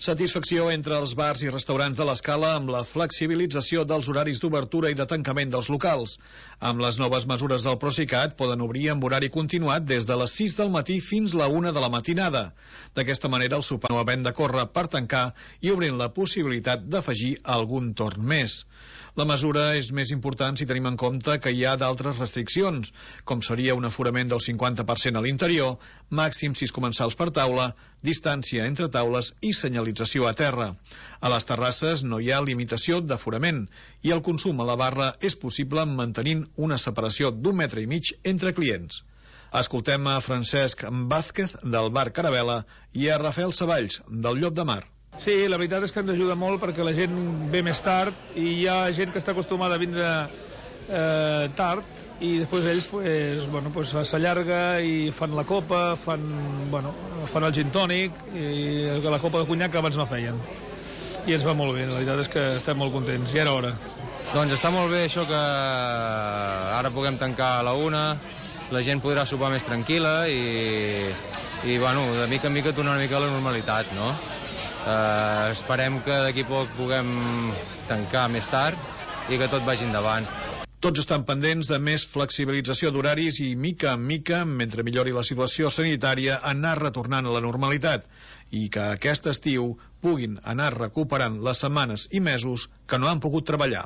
Satisfacció entre els bars i restaurants de l'Escala amb la flexibilització dels horaris d'obertura i de tancament dels locals. Amb les noves mesures del Procicat poden obrir amb horari continuat des de les 6 del matí fins la 1 de la matinada. D'aquesta manera el sopar no havent de córrer per tancar i obrint la possibilitat d'afegir algun torn més. La mesura és més important si tenim en compte que hi ha d'altres restriccions, com seria un aforament del 50% a l'interior, màxim 6 comensals per taula, distància entre taules i senyalització a terra. A les terrasses no hi ha limitació d'aforament i el consum a la barra és possible mantenint una separació d'1,5 metres entre clients. Escoltem a Francesc Vázquez del bar Carabela i a Rafael Savalls del Llop de Mar. Sí, la veritat és que ens ajuda molt perquè la gent ve més tard i hi ha gent que està acostumada a vindre tard i després ells s'allarga i fan la copa, fan el gin tònic i la copa de conyac que abans no feien. I ens va molt bé, la veritat és que estem molt contents, ja era hora. Doncs està molt bé això que ara puguem tancar a la 1, la gent podrà sopar més tranquil·la i de mica en mica tornar una mica a la normalitat, no? Esperem que d'aquí poc puguem tancar més tard i que tot vagi endavant. Tots estan pendents de més flexibilització d'horaris i mica en mica, mentre millori la situació sanitària, anar retornant a la normalitat i que aquest estiu puguin anar recuperant les setmanes i mesos que no han pogut treballar.